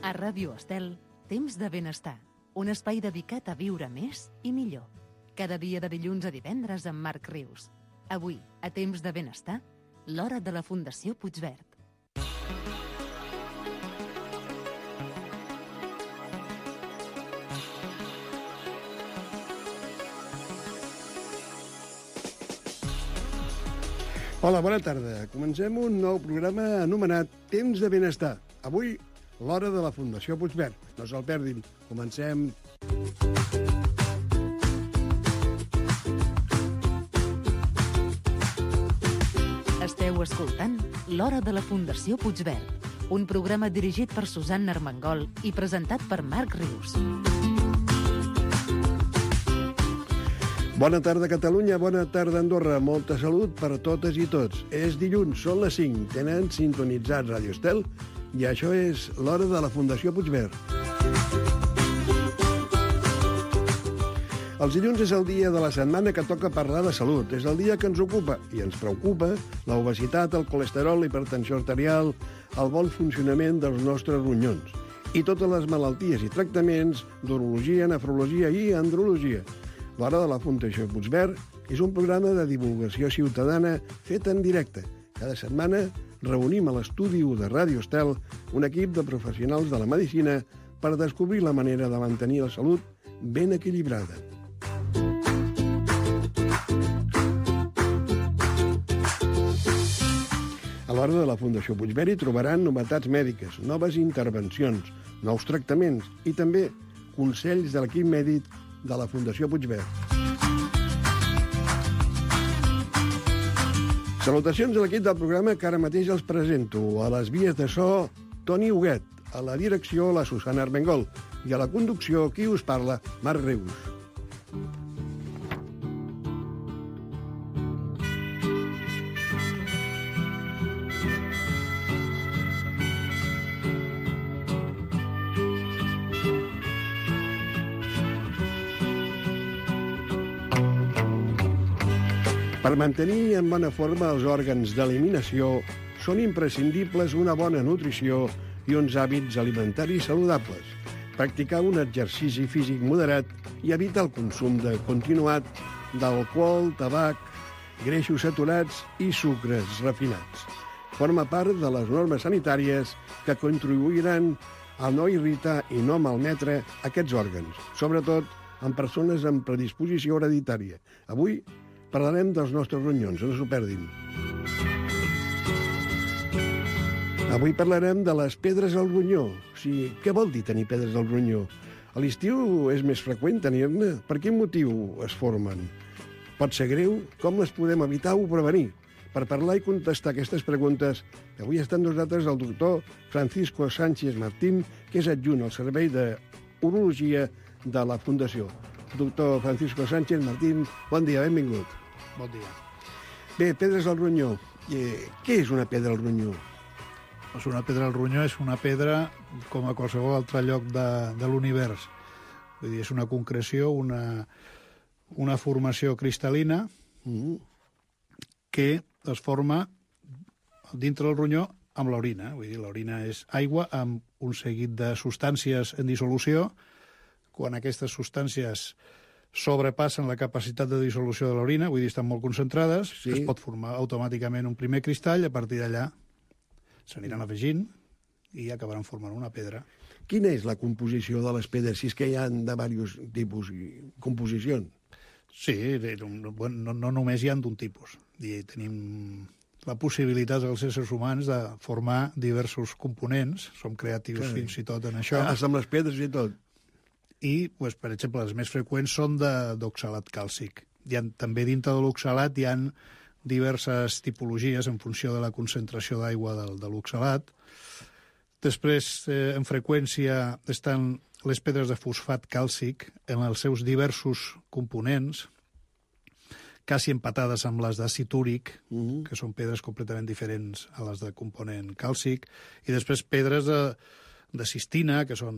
A Ràdio Estel, Temps de Benestar, un espai dedicat a viure més i millor. Cada dia de dilluns a divendres amb Marc Rius. Avui, a Temps de Benestar, l'hora de la Fundació Puigverd. Hola, bona tarda. Comencem un nou programa anomenat Temps de Benestar. Avui, l'hora de la Fundació Puigverd. No se'l perdin. Comencem. Esteu escoltant l'hora de la Fundació Puigverd, un programa dirigit per Susanna Armengol i presentat per Marc Rius. Bona tarda, Catalunya. Bona tarda, Andorra. Molta salut per a totes i tots. És dilluns, són les 5. Tenen sintonitzat Ràdio Estel i això és l'hora de la Fundació Puigverd. Els dilluns és el dia de la setmana que toca parlar de salut. És el dia que ens ocupa i ens preocupa l'obesitat, el colesterol, l'hipertensió arterial, el bon funcionament dels nostres ronyons i totes les malalties i tractaments d'urologia, nefrologia i andrologia. L'hora de la Fundació Puigverd és un programa de divulgació ciutadana fet en directe. Cada setmana reunim a l'estudi de Ràdio Estel un equip de professionals de la medicina per descobrir la manera de mantenir la salut ben equilibrada. A l'hora de la Fundació Puigverd hi trobaran novetats mèdiques, noves intervencions, nous tractaments i també consells de l'equip mèdic de la Fundació Puigverd. Salutacions a l'equip del programa que ara mateix els presento. A les vies de so, Toni Huguet. A la direcció, la Susanna Armengol. I a la conducció, qui us parla, Marc Rius. Per mantenir en bona forma els òrgans d'eliminació són imprescindibles una bona nutrició i uns hàbits alimentaris saludables, practicar un exercici físic moderat i evitar el consum continuat d'alcohol, tabac, greixos saturats i sucres refinats. Forma part de les normes sanitàries que contribuiran a no irritar i no malmetre aquests òrgans, sobretot en persones amb predisposició hereditària. Avui parlarem dels nostres ronyons, no s'ho perdin. Avui parlarem de les pedres al ronyó. O sigui, què vol dir tenir pedres al ronyó? A l'estiu és més freqüent tenir-ne. Per quin motiu es formen? Pot ser greu? Com les podem evitar o prevenir? Per parlar i contestar aquestes preguntes, avui està amb nosaltres el doctor Francisco Sánchez Martín, que és adjunt al Servei d'Urologia de la Fundació. Doctor Francisco Sánchez Martín, bon dia, benvingut. Bon dia. Bé, pedres al ronyó. Què és una pedra al ronyó? Doncs una pedra al ronyó és una pedra com a qualsevol altre lloc de l'univers. Vull dir, és una concreció, una formació cristal·lina que es forma dintre del ronyó amb l'orina. Vull dir, l'orina és aigua amb un seguit de substàncies en dissolució. Quan aquestes substàncies sobrepassen la capacitat de dissolució de l'orina, vull dir, estan molt concentrades, sí, es pot formar automàticament un primer cristall, i a partir d'allà s'aniran afegint i acabaran formant una pedra. Quina és la composició de les pedres, si és que hi ha de diversos tipus i composicions? Sí, no només hi ha d'un tipus. Tenim la possibilitat dels éssers humans de formar diversos components, som creatius fins i tot en això. Amb les pedres i tot. I, per exemple, les més freqüents són d'oxalat càlcic. També dintre de l'oxalat hi ha diverses tipologies en funció de la concentració d'aigua de l'oxalat. Després, en freqüència, estan les pedres de fosfat càlcic en els seus diversos components, quasi empatades amb les d'àcid úric, que són pedres completament diferents a les de component càlcic, i després pedres de cistina, que són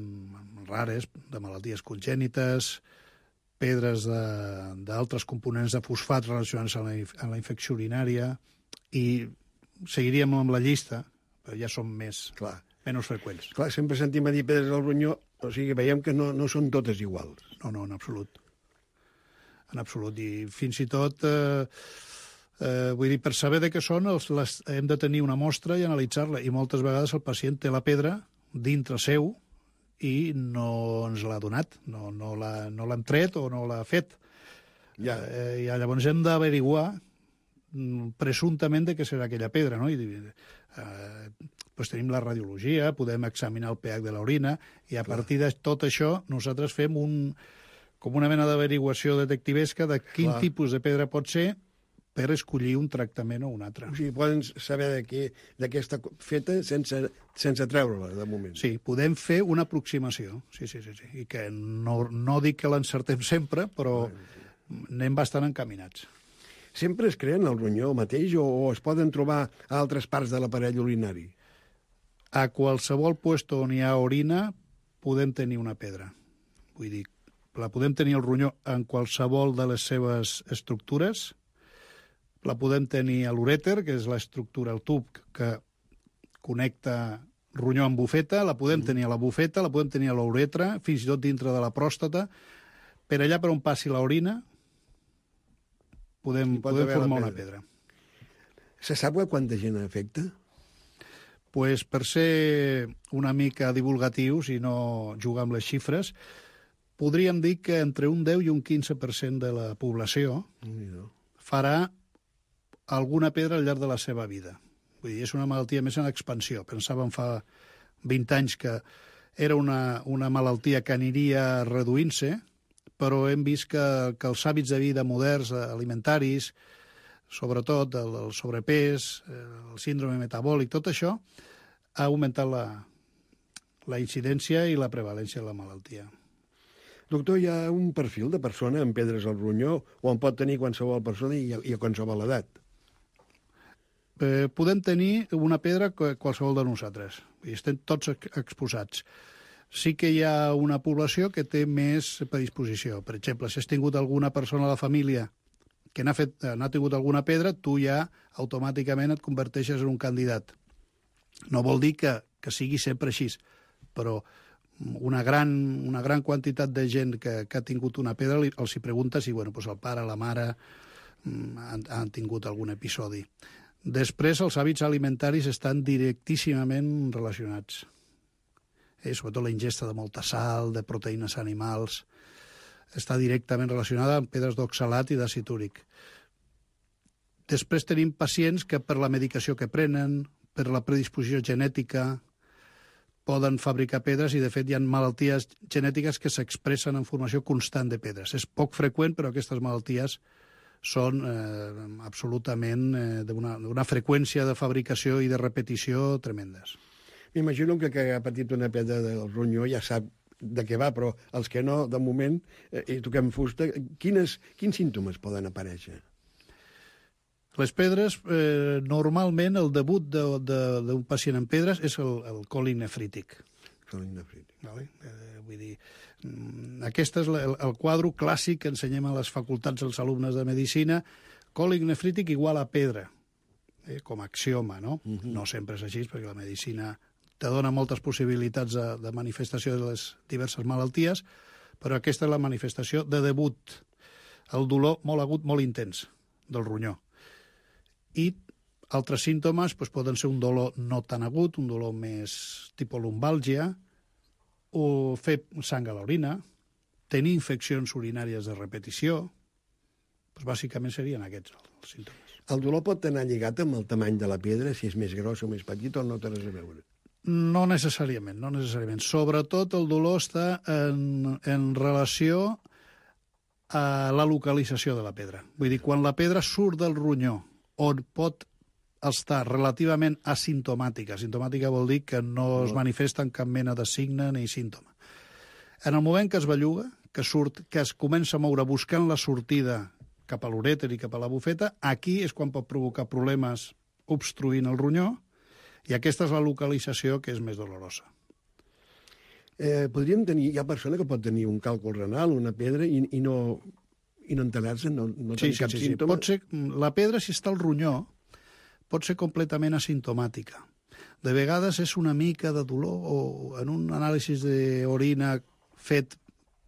rares, de malalties congènites, pedres d'altres components de fosfat relacionats amb la infecció urinària, i seguiríem amb la llista, però ja són més menys freqüents. Clar, sempre sentim a dir pedres al ronyó, o sigui, veiem que no són totes iguals. No, en absolut. En absolut. I fins i tot, vull dir, per saber de què són, hem de tenir una mostra i analitzar-la. I moltes vegades el pacient té la pedra dintre seu i no ens l'ha donat, no l'hem tret o no l'ha fet. I llavors hem d'averiguar presumptament de què serà aquella pedra, no? Doncs tenim la radiologia, podem examinar el pH de l'orina i a partir de tot això nosaltres fem com una mena d'averiguació detectivesca de quin tipus de pedra pot ser per escollir un tractament o un altre. O sigui, poden saber de què està feta sense treure-la, de moment. Sí, podem fer una aproximació, sí. I que no dic que l'encertem sempre, però anem bastant encaminats. Sempre es creen al ronyó mateix o es poden trobar a altres parts de l'aparell urinari? A qualsevol lloc on hi ha orina podem tenir una pedra. Vull dir, la podem tenir al ronyó en qualsevol de les seves estructures. La podem tenir a l'urèter, que és l'estructura, el tub que connecta ronyó amb bufeta, la podem tenir a la bufeta, la podem tenir a l'uretra, fins i tot dintre de la pròstata. Per allà per on passi l'orina podem formar una pedra. Se sap quanta gent afecta? Pues per ser una mica divulgatius i no jugar amb les xifres, podríem dir que entre un 10 i un 15% de la població farà alguna pedra al llarg de la seva vida. Vull dir, és una malaltia més en expansió. Pensàvem fa 20 anys que era una malaltia que aniria reduint-se, però hem vist que els hàbits de vida moderns, alimentaris, sobretot el sobrepès, el síndrome metabòlic, tot això ha augmentat la incidència i la prevalència de la malaltia. Doctor, hi ha un perfil de persona amb pedres al ronyó o en pot tenir qualsevol persona i a qualsevol edat? Podem tenir una pedra qualsevol de nosaltres. Estem tots exposats. Sí que hi ha una població que té més predisposició. Per exemple, si has tingut alguna persona a la família que n'ha tingut alguna pedra, tu ja automàticament et converteixes en un candidat. No vol dir que sigui sempre així, però una gran quantitat de gent que ha tingut una pedra els hi pregunta si el pare, la mare han tingut algun episodi. Després, els hàbits alimentaris estan directíssimament relacionats. Sobretot la ingesta de molta sal, de proteïnes animals, està directament relacionada amb pedres d'oxalat i d'àcid úric. Després tenim pacients que per la medicació que prenen, per la predisposició genètica, poden fabricar pedres i, de fet, hi ha malalties genètiques que s'expressen en formació constant de pedres. És poc freqüent, però aquestes malalties són absolutament d'una freqüència de fabricació i de repetició tremendes. M'imagino que ha patit una pedra del ronyó ja sap de què va, però els que no, de moment, i toquem fusta, quins símptomes poden aparèixer? Les pedres, normalment el debut d'un pacient amb pedres és el còlic nefrític. Vull dir, aquest és el quadre clàssic que ensenyem a les facultats dels alumnes de medicina. Còlic nefrític igual a pedra, com a axioma, no? No sempre és així, perquè la medicina te dona moltes possibilitats de manifestació de les diverses malalties, però aquesta és la manifestació de debut. El dolor molt agut, molt intens del ronyó. I altres símptomes poden ser un dolor no tan agut, un dolor més tipus lumbàlgia, o fer sang a l'orina, tenir infeccions urinàries de repetició. Bàsicament serien aquests els símptomes. El dolor pot anar lligat amb el tamany de la pedra, si és més gros o més petit, o no té res a veure? No necessàriament. Sobretot el dolor està en relació a la localització de la pedra. Vull dir, quan la pedra surt del ronyó, on pot estar relativament asimptomàtica. Asimptomàtica vol dir que no es manifesta en cap mena de signe ni símptoma. En el moment que es belluga, que es comença a moure buscant la sortida cap a l'urèter i cap a la bufeta, aquí és quan pot provocar problemes obstruint el ronyó, i aquesta és la localització que és més dolorosa. Hi ha persona que pot tenir un càlcul renal, una pedra, i no enterar-se, no tenir cap símptoma? Pot ser, la pedra, si està al ronyó, pot ser completament asimptomàtica. De vegades és una mica de dolor o en un anàlisi d'orina fet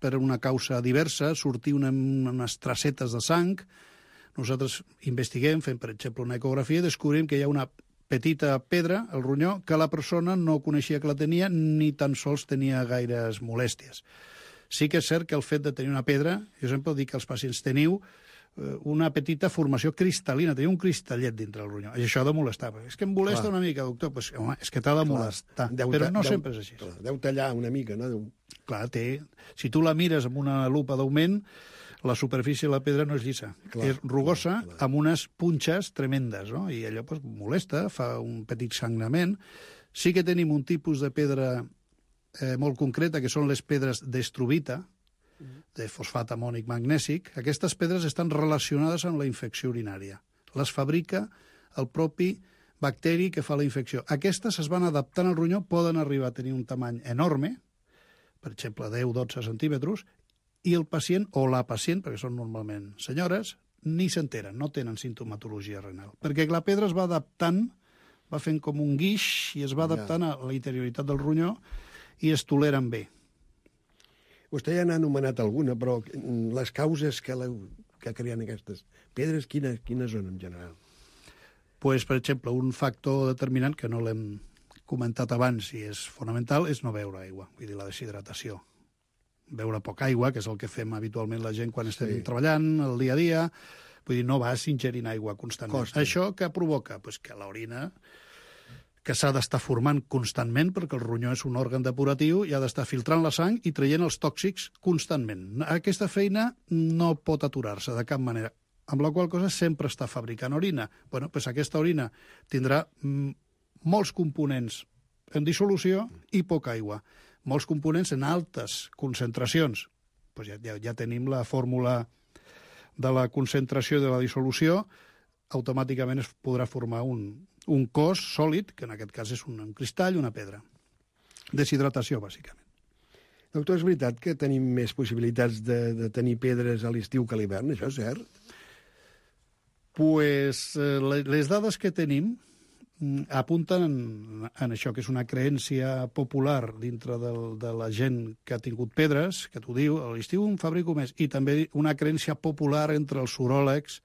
per una causa diversa, sortir unes tracetes de sang. Nosaltres investiguem, fem, per exemple, una ecografia i descobrim que hi ha una petita pedra al ronyó que la persona no coneixia que la tenia ni tan sols tenia gaires molèsties. Sí que és cert que el fet de tenir una pedra, jo sempre dic que els pacients teniu una petita formació cristal·lina, tenia un cristallet dintre el ronyó. I això ha de molestar. És que em molesta una mica, doctor. Pues, home, és que t'ha de molestar. Però no sempre és així. Deu tallar una mica, no? Clar, si tu la mires amb una lupa d'augment, la superfície de la pedra no és llisa. És rugosa, amb unes punxes tremendes, no? I allò pues, molesta, fa un petit sangrament. Sí que tenim un tipus de pedra molt concreta, que són les pedres d'estrubita, de fosfat amònic magnèsic. Aquestes pedres estan relacionades amb la infecció urinària. Les fabrica el propi bacteri que fa la infecció. Aquestes es van adaptant al ronyó, poden arribar a tenir un tamany enorme, per exemple, 10-12 centímetres, i el pacient o la pacient, perquè són normalment senyores, ni s'enteren, no tenen sintomatologia renal. Perquè la pedra es va adaptant, va fent com un guix i es va adaptant a la interioritat del ronyó i es toleren bé. Vostè ja n'ha anomenat alguna, però les causes que creen aquestes pedres, quines són en general? Pues, per exemple, un factor determinant, que no l'hem comentat abans i és fonamental, és no beure aigua, vull dir, la deshidratació. Beure poca aigua, que és el que fem habitualment la gent quan estem treballant, el dia a dia, vull dir, no vas ingerint aigua constantment. Això què provoca? Pues que l'orina, que s'ha d'estar formant constantment, perquè el ronyó és un òrgan depuratiu i ha d'estar filtrant la sang i traient els tòxics constantment. Aquesta feina no pot aturar-se de cap manera, amb la qual cosa sempre està fabricant orina. Bueno, pues aquesta orina tindrà molts components en dissolució i poca aigua. Molts components en altes concentracions. Pues ja tenim la fórmula de la concentració de la dissolució, automàticament es podrà formar un cos sòlid, que en aquest cas és un cristall, una pedra. Deshidratació, bàsicament. Doctor, és veritat que tenim més possibilitats de tenir pedres a l'estiu que a l'hivern, això és cert? Pues les dades que tenim apunten en això, que és una creència popular dintre de la gent que ha tingut pedres, que t'ho diu, a l'estiu en fabrico més, i també una creència popular entre els uròlegs,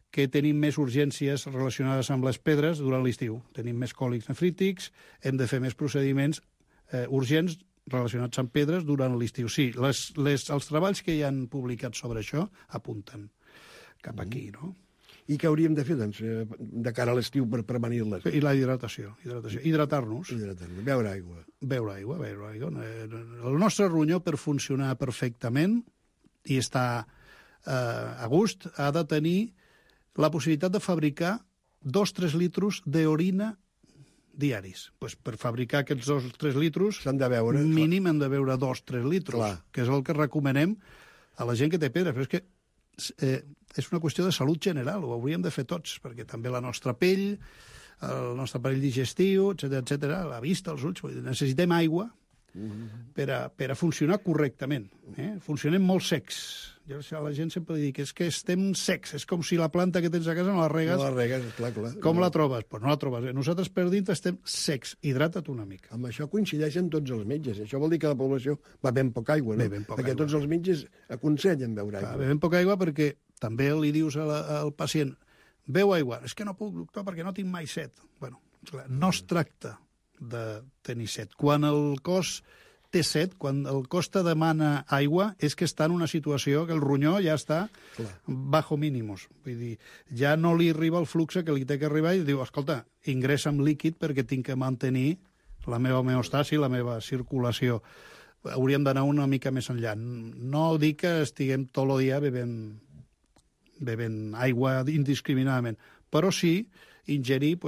que tenim més urgències relacionades amb les pedres durant l'estiu. Tenim més còlics nefrítics, hem de fer més procediments urgents relacionats amb pedres durant l'estiu. Sí, els treballs que hi han publicat sobre això apunten cap aquí, no? I què hauríem de fer, doncs, de cara a l'estiu per prevenir-les? I la hidratació. Hidratar-nos. Beure aigua. Beure aigua. El nostre ronyó, per funcionar perfectament i estar a gust, ha de tenir la possibilitat de fabricar 2-3 litres d'orina diaris. Pues per fabricar aquests 2-3 litres, mínim hem de beure 2-3 litres, que és el que recomanem a la gent que té pedra. Però és que és una qüestió de salut general, ho hauríem de fer tots, perquè també la nostra pell, el nostre aparell digestiu, etc, la vista, els ulls, necessitem aigua per a funcionar correctament. Funcionem molt secs. Jo a la gent sempre li dic, és que estem secs, és com si la planta que tens a casa no la regues. No la regues, clar. Com la trobes? Pues no la trobes. Nosaltres per dintre estem secs. Hidrata't una mica. Amb això coincideixen tots els metges. Això vol dir que la població va ben poca aigua, no? Perquè tots els metges aconsellen beure aigua. Bevem poca aigua perquè també li dius al pacient, beu aigua. És que no puc, doctor, perquè no tinc mai set. Bueno, no es tracta de tenir set. Quan el cos té set, quan el cos te demana aigua, és que està en una situació que el ronyó ja està bajo mínimos. Vull dir, ja no li arriba el flux que li té que arribar i diu, escolta, ingressa'm líquid perquè tinc que mantenir la meva homeostasi, la meva circulació. Hauríem d'anar una mica més enllà. No dic que estiguem tot el dia bevent aigua indiscriminadament, però sí ingerir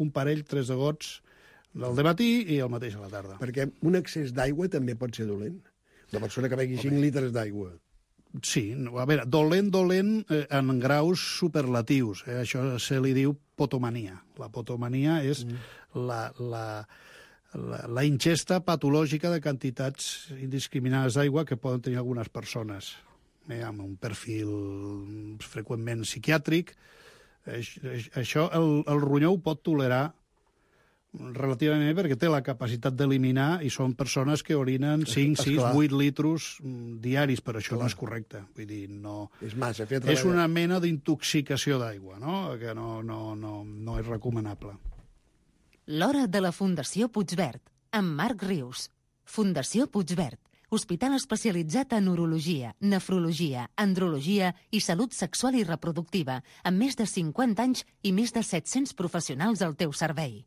un parell, 3 de gots el dematí i el mateix a la tarda. Perquè un excés d'aigua també pot ser dolent. La persona que begui 5 litres d'aigua. Sí, a veure, dolent en graus superlatius. Això se li diu potomania. La potomania és la ingesta patològica de quantitats indiscriminades d'aigua que poden tenir algunes persones amb un perfil freqüentment psiquiàtric. Això el ronyó ho pot tolerar relativament bé perquè té la capacitat d'eliminar i són persones que orinen 5, 6, 8 litros diaris, però això no és correcte. Vull dir, no... És massa, és una mena d'intoxicació d'aigua, no? Que no és recomanable. L'hora de la Fundació Puigverd, amb Marc Rius. Fundació Puigverd, hospital especialitzat en urologia, nefrologia, andrologia i salut sexual i reproductiva, amb més de 50 anys i més de 700 professionals al teu servei.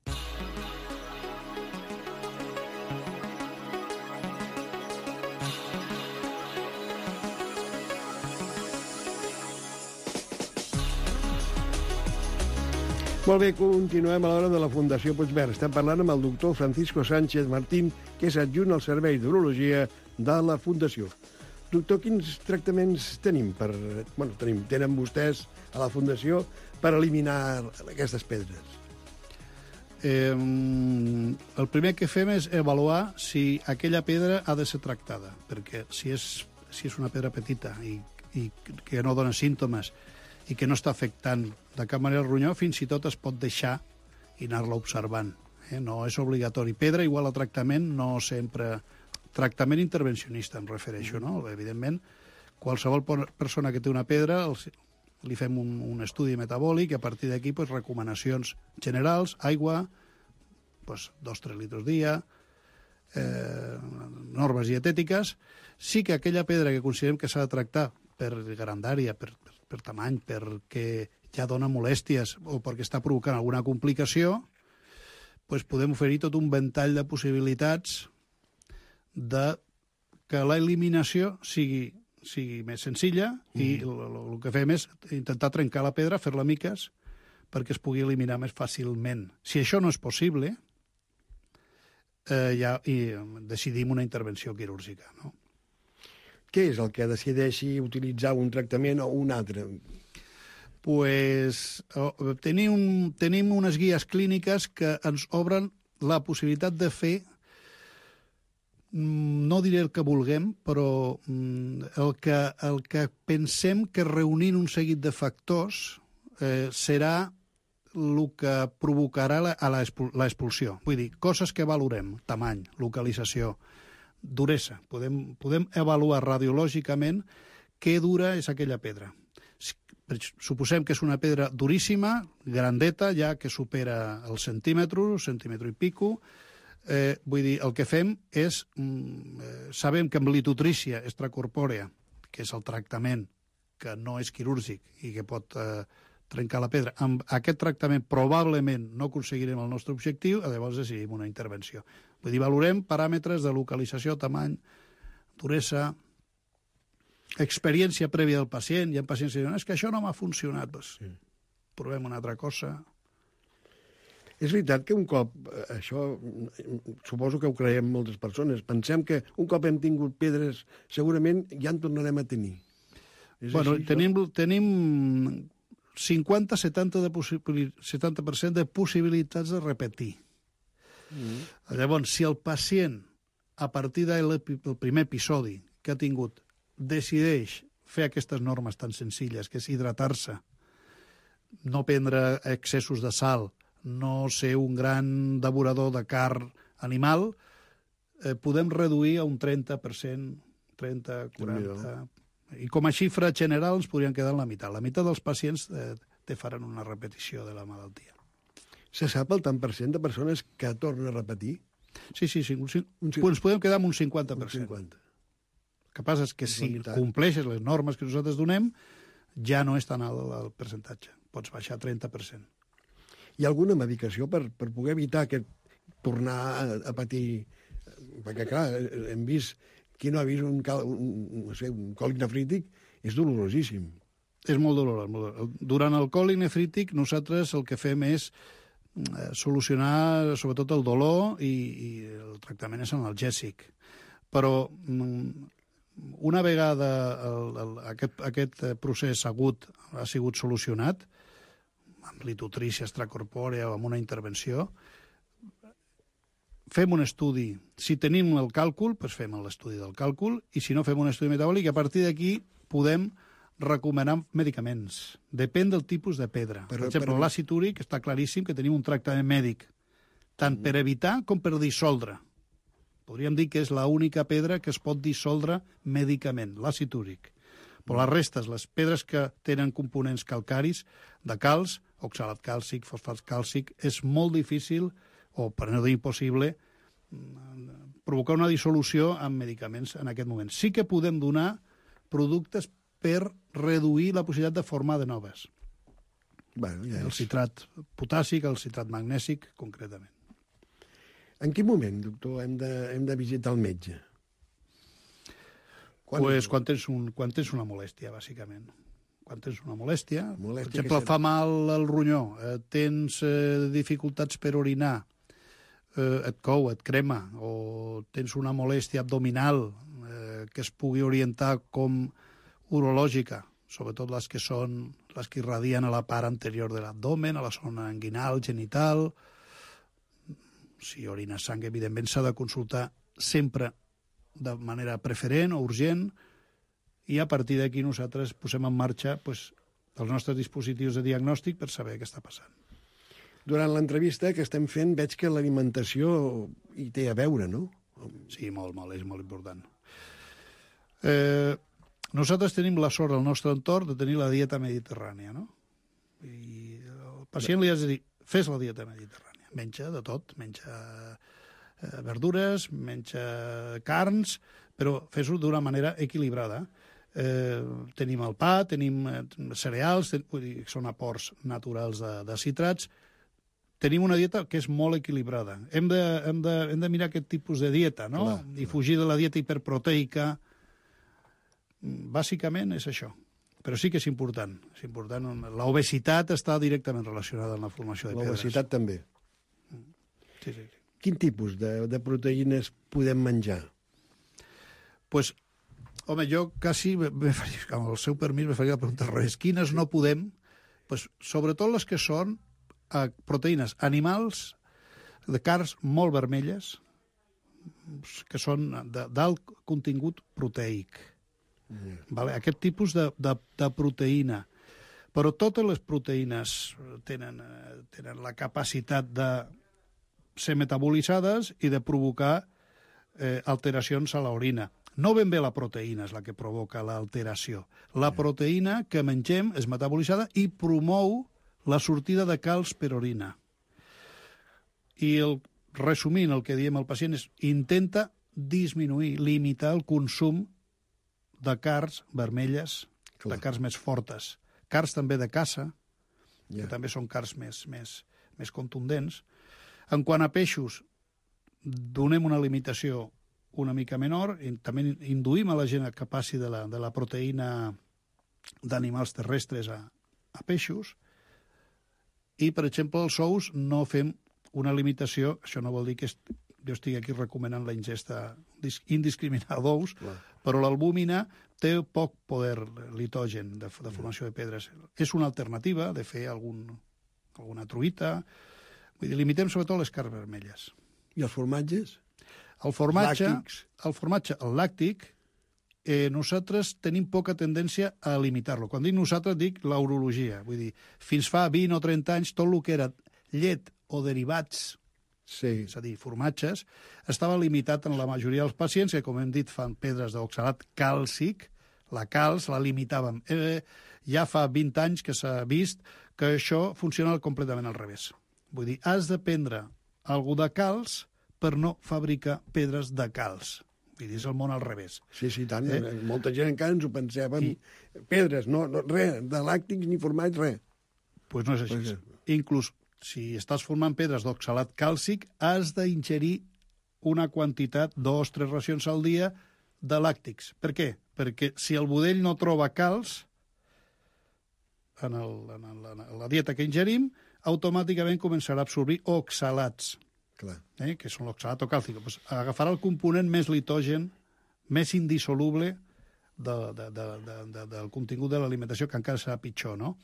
Molt bé, continuem a l'hora de la Fundació Puigverd. Estem parlant amb el doctor Francisco Sánchez Martín, que és adjunt al Servei d'Urologia de la Fundació. Doctor, quins tractaments tenim? Tenen vostès a la Fundació per eliminar aquestes pedres? El primer que fem és avaluar si aquella pedra ha de ser tractada, perquè si és una pedra petita i que no dona símptomes i que no està afectant de cap manera el ronyó, fins i tot es pot deixar i anar-la observant. No és obligatori. Pedra igual a tractament, no sempre... Tractament intervencionista, em refereixo, no? Evidentment, qualsevol persona que té una pedra li fem un estudi metabòlic i a partir d'aquí recomanacions generals, aigua, 2-3 litres dia, normes dietètiques. Sí que aquella pedra que considerem que s'ha de tractar per grandària, per tamany, perquè ja dona molèsties o perquè està provocant alguna complicació, podem oferir tot un ventall de possibilitats de que l'eliminació sigui més senzilla i el que fem és intentar trencar la pedra, fer-la miques, perquè es pugui eliminar més fàcilment. Si això no és possible, ja decidim una intervenció quirúrgica, no? Què és el que decideixi utilitzar un tractament o un altre? Tenim unes guies clíniques que ens obren la possibilitat de fer, no diré el que vulguem, però el que pensem que reunint un seguit de factors serà el que provocarà l'expulsió. Vull dir, coses que valorem, tamany, localització, duresa. Podem avaluar radiològicament què dura és aquella pedra. Suposem que és una pedra duríssima, grandeta, ja que supera el centímetre i pico. Vull dir, el que fem és... sabem que amb litotrícia extracorpòrea, que és el tractament que no és quirúrgic i que pot trencar la pedra, amb aquest tractament probablement no aconseguirem el nostre objectiu, llavors decidim una intervenció. Vull dir, valorem paràmetres de localització, tamany, duresa, experiència prèvia del pacient. Hi ha pacients que diuen, és que això no m'ha funcionat. Provem una altra cosa. És veritat que un cop, això suposo que ho creiem moltes persones, pensem que un cop hem tingut pedres segurament ja en tornarem a tenir. Bueno, tenim 50-70% de possibilitats de repetir. Llavors, si el pacient, a partir del primer episodi que ha tingut, decideix fer aquestes normes tan senzilles, que és hidratar-se, no prendre excessos de sal, no ser un gran devorador de carn animal, podem reduir a un 30%, 30, 40... I com a xifra general ens podrien quedar en la meitat. La meitat dels pacients te faran una repetició de la malaltia. Se sap el tant per cent de persones que tornen a repetir? Sí, ens podem quedar amb un 50%. Un 50%. El que passa és que si compleixes les normes que nosaltres donem, ja no és tan alt el percentatge. Pots baixar 30%. Hi ha alguna medicació per poder evitar tornar a patir? Perquè, clar, hem vist... Qui no ha vist un còlic nefrític és dolorosíssim. És molt dolorós. Durant el còlic nefrític nosaltres el que fem és solucionar sobretot el dolor i el tractament és analgèsic. Però una vegada aquest procés agut ha sigut solucionat, amb litotrícia extracorpòrea o amb una intervenció, fem un estudi. Si tenim el càlcul, doncs fem l'estudi del càlcul, i si no, fem un estudi metabòlic, i a partir d'aquí podem recomanar medicaments. Depèn del tipus de pedra. Per exemple, l'àcid úric està claríssim que tenim un tractament mèdic tant per evitar com per dissoldre. Podríem dir que és l'única pedra que es pot dissoldre mèdicament, l'àcid úric. Però les restes, les pedres que tenen components calcaris, de calç, oxalat càlcic, fosfat càlcic, és molt difícil, o per no dir impossible, provocar una dissolució amb medicaments en aquest moment. Sí que podem donar productes per reduir la possibilitat de formar de noves. Bueno, ja El citrat potàssic, el citrat magnèsic, concretament. En quin moment, doctor, hem de visitar el metge? Quan tens una molèstia, bàsicament. Quan tens una molèstia, per Molèstia exemple, fa mal el ronyó, tens dificultats per orinar, et cou, et crema, o tens una molèstia abdominal que es pugui orientar com urològica, sobretot les que irradien a la part anterior de l'abdomen, a la zona inguinal, genital. Si orina sang, evidentment s'ha de consultar sempre de manera preferent o urgent, i a partir d'aquí nosaltres posem en marxa els nostres dispositius de diagnòstic per saber què està passant. Durant l'entrevista que estem fent veig que l'alimentació hi té a veure, no? Sí, molt, és molt important. Nosaltres tenim la sort al nostre entorn de tenir la dieta mediterrània, no? I al pacient li has de dir, fes la dieta mediterrània. Menja de tot, menja verdures, menja carns, però fes-ho d'una manera equilibrada. Tenim el pa, tenim cereals, són aports naturals de citrats. Tenim una dieta que és molt equilibrada. Hem de mirar aquest tipus de dieta, no? Clar. I fugir de la dieta hiperproteica. Bàsicament és això. Però sí que és important. L'obesitat està directament relacionada amb la formació de pedres. L'obesitat també. Sí. Quin tipus de proteïnes podem menjar? Pues, home, jo quasi, amb el seu permís, me faria la pregunta al revés. Quines no podem? Pues, sobretot les que són proteïnes animals de carns molt vermelles, que són d'alt contingut proteic. Vale? Aquest tipus de proteïna. Però totes les proteïnes tenen la capacitat de ser metabolitzades i de provocar alteracions a l'orina. No ben bé la proteïna és la que provoca l'alteració. La proteïna que mengem és metabolitzada i promou la sortida de calç per orina. I resumint, el que diem al pacient és intenta disminuir, limitar el consum de carns vermelles, de carns més fortes. Carns també de caça, que també són carns més contundents. En quant a peixos, donem una limitació una mica menor, i també induïm a la gent que passi de la proteïna d'animals terrestres a peixos, i, per exemple, els ous no fem una limitació, això no vol dir que jo estigui aquí recomanant la ingesta indiscriminada d'ous, però l'albúmina té poc poder litogen de formació de pedres. És una alternativa de fer alguna truita. Vull dir, limitem sobretot les carns vermelles. I els formatges? El formatge, el làctic, nosaltres tenim poca tendència a limitar-lo. Quan dic nosaltres, dic la urologia. Vull dir, fins fa 20 o 30 anys, tot el que era llet o derivats, és a dir, formatges, estava limitat en la majoria dels pacients, que, com hem dit, fan pedres d'oxalat càlcic, la calç la limitàvem. Ja fa 20 anys que s'ha vist que això funciona completament al revés. Vull dir, has de prendre alguna de calç per no fabricar pedres de calç. Vull dir, és el món al revés. Sí, tant. Molta gent encara ens ho pensàvem. Pedres, no, res, de làctics ni formats, res. Doncs no és així. Inclús, si estàs formant pedres d'oxalat càlcic, has d'ingerir una quantitat, 2 o 3 racions al dia, de làctics. Per què? Perquè si el budell no troba calç en la dieta que ingerim, automàticament començarà a absorbir oxalats, que són l'oxalat o càlcic. Agafarà el component més litogen, més indissoluble del contingut de l'alimentació, que encara serà pitjor, no?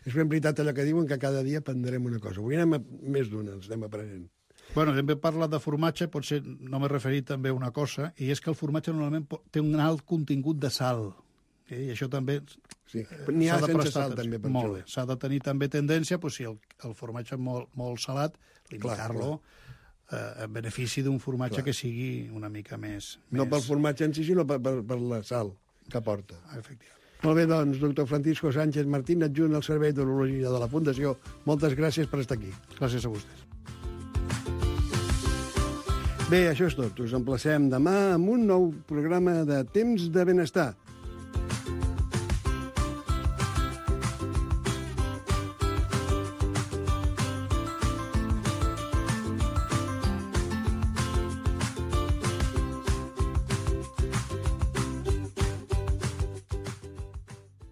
És ben veritat allò que diuen, que cada dia aprendrem una cosa. Avui anem més d'una, ens anem aprenent. Bueno, hem parlat de formatge, potser no m'he referit també a una cosa, i és que el formatge normalment té un alt contingut de sal. I això també Sí. N'hi ha s'ha de sense prestar sal, atenció. també, per Molt això. bé. S'ha de tenir també tendència, si el formatge és molt salat, limitar-lo en benefici d'un formatge que sigui una mica més... No pel formatge en si, sinó per la sal que porta. Efectivament. Molt bé, doncs, doctor Francisco Sánchez Martín, adjunt al Servei d'Urologia de la Fundació. Moltes gràcies per estar aquí. Gràcies a vostès. Bé, això és tot. Us emplacem demà amb un nou programa de Temps de Benestar.